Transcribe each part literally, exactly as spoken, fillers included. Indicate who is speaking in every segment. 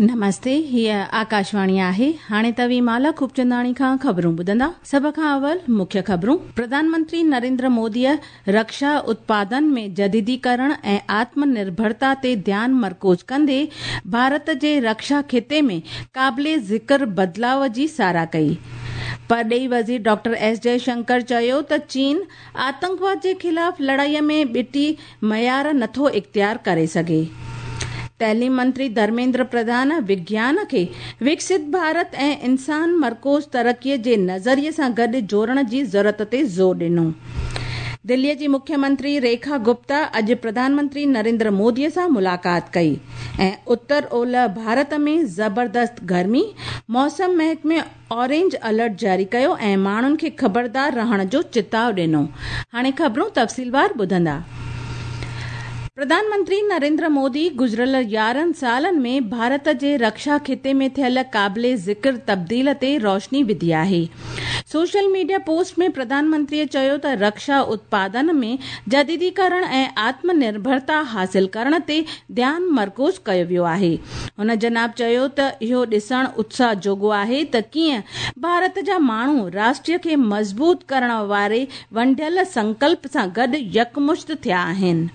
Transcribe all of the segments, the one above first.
Speaker 1: नमस्ते, हीअ आकाशवाणी आहे। हाणे तव्हीं माला खूबचंदाणी खां ख़बरूं ॿुधंदा। सभ खां अवल मुख्य ख़बरूं। प्रधानमंत्री नरेंद्र मोदीअ रक्षा उत्पादन में जदीदीकरण ऐं आत्मनिर्भरता ते ध्यान मरकूज़ कंदे भारत जे रक्षा खिते में क़ाबिले ज़िक्र बदिलाव जी सराह कई। परॾेही वज़ीर डॉक्टर एस जयशंकर चयो त चीन आतंकवाद जे ख़िलाफ़ लड़ाईअ में ॿिटी मयार नथो इख़्तियार करे सघे। तालीम मंत्री धर्मेंद्र प्रधान विज्ञान खे विकसित भारत ऐं इंसान मरकूज़ तरक़ीअ जे नज़रिए सां गॾु जोड़ण जी ज़रूरत ते ज़ोर ॾिनो। दिल्लीअ जी मुख्यमंत्री रेखा गुप्ता अॼु प्रधानमंत्री नरेंद्र मोदीअ सां मुलाक़ात कई ऐं उत्तर ओलह भारत में ज़बरदस्त गर्मी, मौसम महकमे ऑरेंज अलर्ट जारी कयो ऐं माण्हुनि खे ख़बरदार रहण जो चिताव ॾिनो। हाणे ख़बरूं तफ़सीलवार ॿुधंदा। प्रधानमंत्री नरेंद्र मोदी गुज़िरियल यारहं सालनि में भारत जे रक्षा खिते में थियल क़ाबिले ज़िक्र तब्दील ते रोशनी विधी आहे। सोशल मीडिया पोस्ट में प्रधानमंत्रीअ चयो त रक्षा उत्पादन में जदीदीकरण ऐं आत्मनिर्भरता हासिल करण ते ध्यान मरकूज़ कयो वियो आहे। हुन जनाब चयो त इहो ॾिसण उत्साह जोॻो आहे त कीअं भारत जा माण्हू राष्ट्र खे मज़बूत करण वारे वंढियल संकल्प सां गॾु यकमुश्त थिया आहिनि।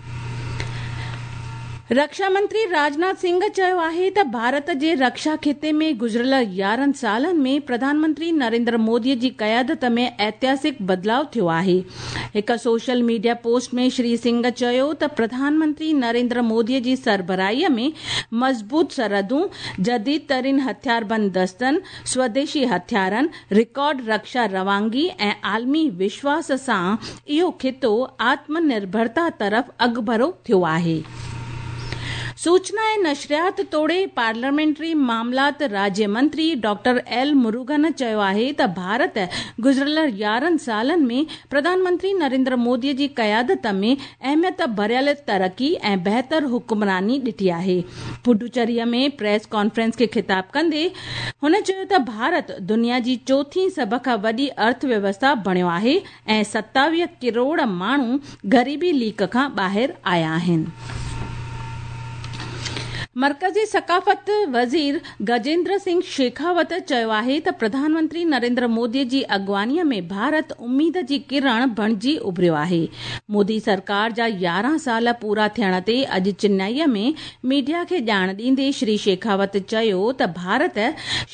Speaker 1: रक्षा मंत्री राजनाथ सिंह चयो आहे त भारत जे रक्षा खिते में गुज़िरियल यारहं सालनि में प्रधानमंत्री नरेंद्र मोदीअ जी क़यादत में ऐतिहासिक बदिलाव थियो आहे। हिकु सोशल मीडिया पोस्ट में श्री सिंह चयो त प्रधानमंत्री नरेंद्र मोदीअ जी सरबराहीअ में मज़बूत सरहदूं, जदीद तरीन हथियारबंद दस्तनि, स्वदेशी हथियारनि, रिकॉर्ड रक्षा रवानगी ऐं आलमी विश्वास सां इहो खितो आत्मनिर्भरता तरफ़ अॻिभरो थियो आहे। सूचना ऐं नशरियात तोड़े पार्लियामेंट्री मामलात राज्य मंत्री डॉक्टर एल मुरुगन चयो आहे त भारत गुज़िरियल यारहं सालनि में प्रधानमंत्री नरेंद्र मोदीअ जी क़यादत में अहमियत भरियल तरक़ी ऐं बहितर हुक्मरानी ॾिठी आहे। पुडुचेरीअ में प्रेस कॉन्फ्रेंस खे ख़िताब कंदे हुन चयो त भारत दुनिया जी चोथी सभ खां वॾी अर्थव्यवस्था बणियो आहे ऐं सतावीह करोड़ माण्हू ग़रीबी लीक खां ॿाहिरि आया आहिनि। मरकज़ी सकाफ़त वज़ीर गजेंद्र सिंह शेखावत चयो आहे त प्रधानमंत्री नरेंद्र मोदीअ जी अॻुवानीअ में भारत उम्मीद जी किरण बणिजी उभरियो आहे। मोदी सरकार जा यारहं साल पूरा थियण ते अॼु चेन्नईअ में मीडिया खे ॼाण ॾींदे श्री शेखावत चयो त भारत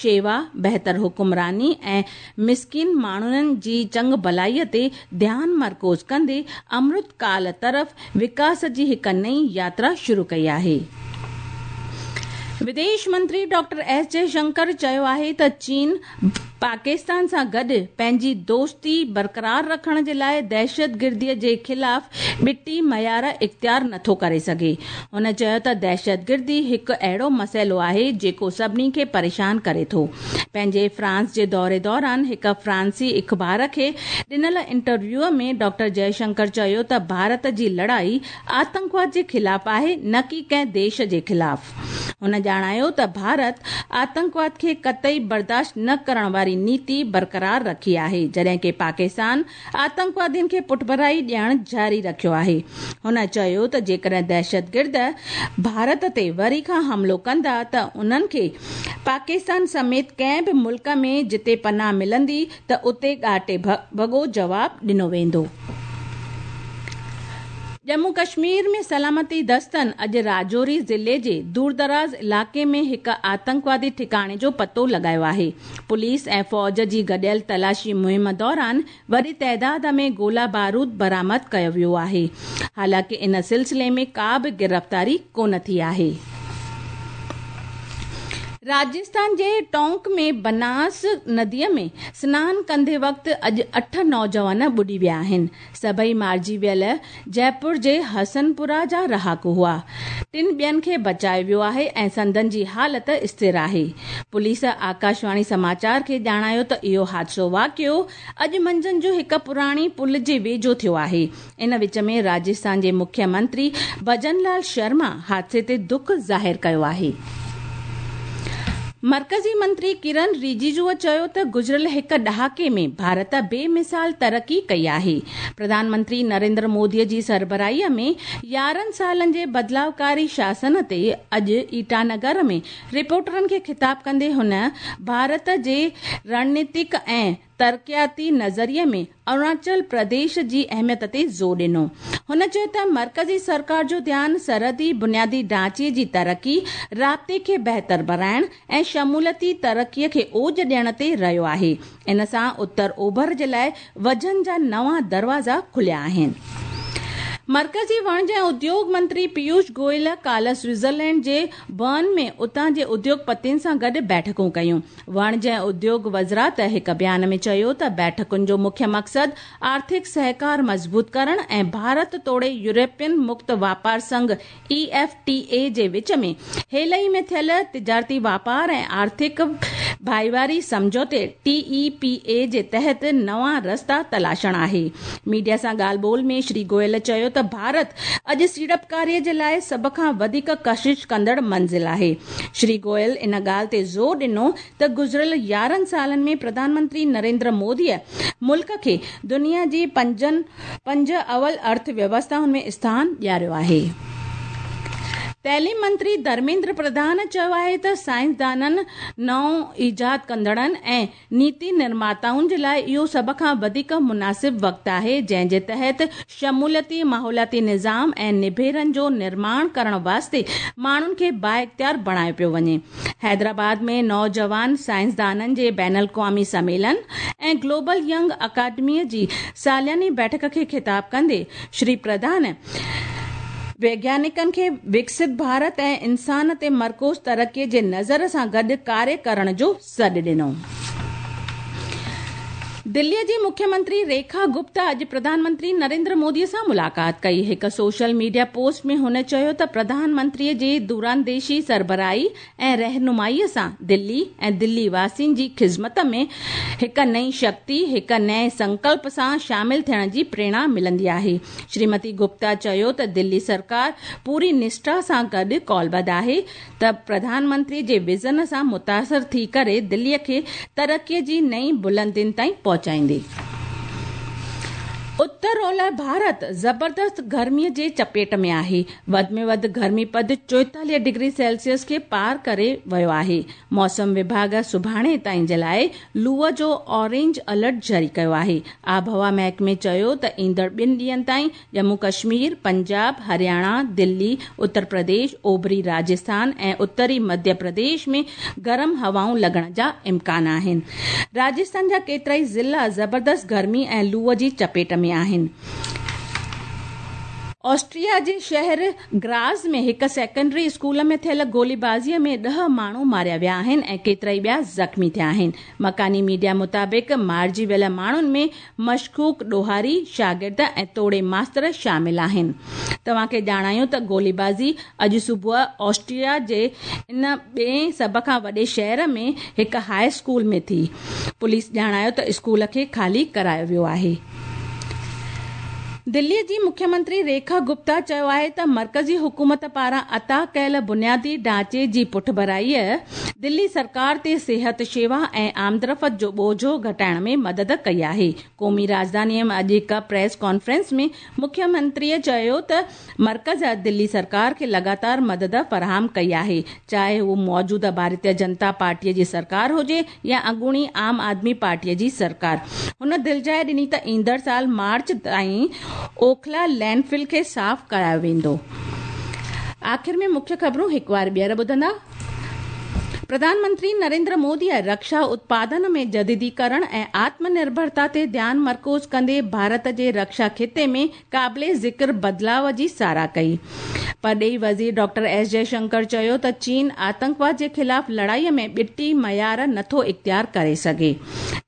Speaker 1: शेवा, बहितर हुक्मरानी ऐं मिसकिन माण्हुनि जी चङु भलाईअ ते ध्यान मरकूज़ कंदे अमृत काल तरफ़ विकास जी हिकु नई यात्रा शुरू कई आहे। विदेश मंत्री डॉक्टर एस जयशंकर चयो आहे त चीन पाकिस्तान सां गॾु पंहिंजी दोस्ती बरक़रार रखण जे लाइ दहशतगिर्दीअ जे ख़िलाफ़ ॿिटी मयार इख़्तियार नथो करे सघे। हुन चयो त दहशतगिर्दी हिकु अहिड़ो मसइलो आहे जेको सभिनी खे परेशान करे थो। पंहिंजे फ्रांस जे दौरे दौरान हिकु फ्रांसी अख़बार खे ॾिनल इंटरव्यूअ में डॉक्टर जयशंकर चयो त भारत जी लड़ाई आतंकवाद जे ख़िलाफ़ आहे, न की कंहिं देश जे ख़िलाफ़। हुन ॼाणायो त भारत आतंकवाद खे कतई बर्दाश्त न करण वारी नीति बरक़रार रखी आहे, जॾहिं की पाकिस्तान आतंकवादियुनि खे पुठभराई ॾियण जारी रखियो आहे। हुन चयो त जेकॾहिं दहशतगिर्द भारत ते वरी खां हमलो कंदा त उन्हनि खे पाकिस्तान समेत कंहिं बि मुल्क में जिते पनाह मिलंदी त उते ॻाटे भॻो जवाब ॾिनो वेंदो। जम्मू कश्मीर में सलामती दस्तनि अॼु राजौरी ज़िले जे दूरदराज़ इलाइक़े में हिकु आतंकवादी ठिकाणे जो पतो लॻायो आहे। पुलिस ऐं फ़ौज जी गॾियल तलाशी मुहिम दौरान वॾी तादाद में गोला बारूद बरामद कयो वियो आहे। हालांकि इन सिलसिले में का बि गिरफ़्तारी कोन थी आहे। राजस्थान जे टोंक में बनास नदीअ में स्नान कंदे वक़्तु अॼु अठ नौजवान ॿुॾी विया आहिनि। सभई मारिजी वियल जयपुर जे हसनपुरा जा रहाकू हुआ। टिनि ॿियनि खे बचायो वियो आहे ऐं संदन जी हालत स्थिर आहे। पुलिस आकाशवाणी समाचार खे ॼाणायो त इहो हादसो वाक़ियो अॼु मंझंदि जो हिकु पुराणी पुल जे वेझो थियो आहे। इन विच में राजस्थान जे मुख्यमंत्री भजन लाल शर्मा हादसे ते दुख ज़ाहिर कयो आहे। मर्कज़ी मंत्री किरण रिजिजूअ चयो त गुज़िरियल हिकु ॾहाके में भारत बेमिसाल तरक़ी कई आहे। प्रधानमंत्री नरेंद्र मोदीअ जी सरबराहीअ में यारहं सालनि जे बदिलावकारी शासन ते अॼु ईटानगर में रिपोर्टरनि खे ख़िताब कंदे हुन भारत जे रणनीतिक ऐं तरक़ियाती नज़रिए में अरुणाचल प्रदेश जी अहमियत ते ज़ोर ॾिनो। हुन चयो त मर्कज़ी सरकार जो ध्यानु सरहदी बुनियादी ढांचे जी तरक़ी, राब्ते खे बहितर बणाइण ऐं शमूलियती तरक़ीअ खे ओज ॾियण ते रहियो आहे। इन सां उत्तर ओभर जे लाइ वजन जा नवां दरवाज़ा खुलिया आहिनि। मर्कज़ी वणिज ऐं उद्योग मंत्री पीयूष गोयल काल्ह स्विट्ज़रलैंड जे बर्न में उतां जे उद्योगपतियुनि सां गॾु बैठकूं कयूं। वणिज ऐं उद्योग वज़ारत हिकु बयान में चयो त बैठकुनि जो मुख्य मक़सदु आर्थिक सहकार मज़बूत करण ऐं भारत तोड़े यूरोपियन मुक्त वापार संघ ई एफ टी ए जे विच में हेल ई में थियल तिजारती वापार ऐं आर्थिक भाईवारी सम्झौते टी ई पी ए जे तहत नवां रस्ता तलाशण आहे। मीडिया सां ॻाल्हि ॿोल में श्री गोयल चयो त भारत अॼु सीड़पकारीअ जे लाइ सभ खां वधीक कशिश कंदड़ मंज़िल आहे। श्री गोयल इन ॻाल्हि ते ज़ोर ॾिनो त गुज़िरियल यारहं सालनि में प्रधानमंत्री नरेंद्र मोदीअ मुल्क खे दुनिया जी पंजनि पंज अवल अर्थव्यवस्थाउनि में स्थान ॾियारियो आहे। तालीम मंत्री धर्मेंद्र प्रधान चयो आहे त साइंसदाननि, नओं ईजाद कंदड़नि ऐं नीति निर्माताउनि जे लाइ इहो सभ खां वधीक मुनासिब वक़्तु आहे, जंहिं जे तहत शमूलियती माहौलियाती निज़ाम ऐं निभेरनि जो निर्माण करण वास्ते माण्हुनि खे बाइख़्तियार बणायो पियो वञे। हैदराबाद में नौजवान साइंसदाननि जे बैन अल-अक़वामी सम्मेलन ऐं ग्लोबल यंग अकादमीअ जी सालियानी बैठक खे ख़िताब कंदे श्री प्रधान वैज्ञानिकनि खे विकसित भारत ऐं इंसान ते मरकूज़ तरक़ीअ जे नज़र सां गॾु कार्य करण जो सॾु ॾिनो। दिल्लीअ जी मुख्यमंत्री रेखा गुप्ता अॼु प्रधानमंत्री नरेंद्र मोदीअ सां मुलाक़ात कई। हिकु सोशल मीडिया पोस्ट में हुन चयो त प्रधानमंत्रीअ जी दूरांदेशी सरबराही ऐं रहनुमाईअ सां दिल्ली ऐं दिल्ली वासियुनि जी ख़िज़मत में हिकु नई शक्ति, हिकु नए संकल्प सां शामिल थियण जी प्रेरणा मिलंदी आहे। श्रीमती गुप्ता चयो त दिल्ली सरकार पूरी निष्ठा सां गॾु कौलबद्ध आहे त प्रधानमंत्री जे विज़न सां मुतासिर थी करे दिल्लीअ खे तरक़ीअ जी नई बुलंदियुनि ताईं पहुचाईंदी। उत्तर ओलह भारत ज़बरदस्त गर्मीअ जे चपेट में आहे। वधि में वधि गर्मी पद चोएतालीह डिग्री सेल्सियस खे पार करे वियो आहे। मौसम विभाग सुभाणे ताईं जे लाइ लूअ जो ऑरेंज अलर्ट जारी कयो आहे। आबहवा महकमे चयो त ईंदड़ ॿिनि ॾींहनि ताईं जम्मू कश्मीर, पंजाब, हरियाणा, दिल्ली, उत्तर प्रदेश, ओभरी राजस्थान ऐं उत्तरी मध्य प्रदेश में गरम हवाऊं लॻण जा इम्कान आहिनि। राजस्थान जा केतिरा ई ज़िला ज़बरदस्त गर्मी ऐं लूअ जी चपेट में आहिनि। ऑस्ट्रिया जे शहर ग्राज़ में हिकु सेकेंडरी स्कूल में थियल गोलीबाज़ीअ में ॾह माण्हू मारिया विया आहिनि ऐं केतिरा ई ॿिया ज़ख़्मी थिया आहिनि। मकानी मीडिया मुताबिक़ मारिजी वियल माण्हुनि में मशकूक ॾोहारी, शागिर्द ऐं तोड़े मास्तर शामिल आहिनि। तव्हांखे ॼाणायूं त गोलीबाज़ी अॼु सुबुह ऑस्ट्रिया जे इन ॿिए सभ खां वॾे शहर में हिकु हाई स्कूल में थी। पुलिस ॼाणायो त स्कूल खे ख़ाली करायो वियो आहे। दिल्लीअ जी मुख्यमंत्री रेखा गुप्ता चयो आहे त मर्कज़ी हुकूमत पारां अता कयल बुनियादी ढांचे जी पुठभराईअ दिल्ली सरकार ते सिहत शेवा ऐं आमदरफ़्त जो बोझो घटाइण में मदद कई आहे। क़ौमी राजधानीअ में अॼु हिकु प्रेस कॉन्फ्रेंस में मुख्यमंत्रीअ चयो त मर्कज़ दिल्ली सरकार खे लगातार मदद फराहम कई आहे, चाहे उहो मौजूदा भारतीय जनता पार्टीअ जी सरकार हुजे या अॻूणी आम आदमी पार्टीअ जी सरकार। हुन दिलजाइ ॾिनी त ईंदड़ साल मार्च ताईं ओखला लैंडफिल खे साफ़ करायो वेंदो। आख़िर में मुख्य ख़बरूं हिकु बार ॿीहर ॿुधंदा। प्रधानमंत्री नरेंद्र मोदीअ रक्षा उत्पादन में जदीदीकरण ऐं आत्मनिर्भरता ते ध्यानु मरकूज़ कंदे भारत जे रक्षा ख़िते में क़ाबिले ज़िक्र बदिलाव जी सराह कई। परॾेही वज़ीर डॉक्टर एस जयशंकर चयो त चीन आतंकवाद जे ख़िलाफ़ लड़ाईअ में ॿिटी मयार नथो इख़्तियार करे सघे।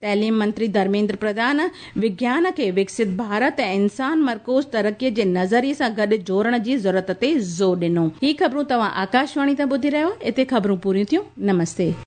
Speaker 1: तालीम मंत्री धर्मेंद्र प्रधान विज्ञान खे विकसित भारत ऐं इंसान मरकूज़ तरक़ीअ जे नज़रिए सां गॾु जोड़ण जी ज़रूरत ते ज़ोर ॾिनो। ही ख़बरूं तव्हां आकाशवाणी तां ॿुधी रहियो। हिते ख़बरूं पूरियूं थियूं। नमस्ते।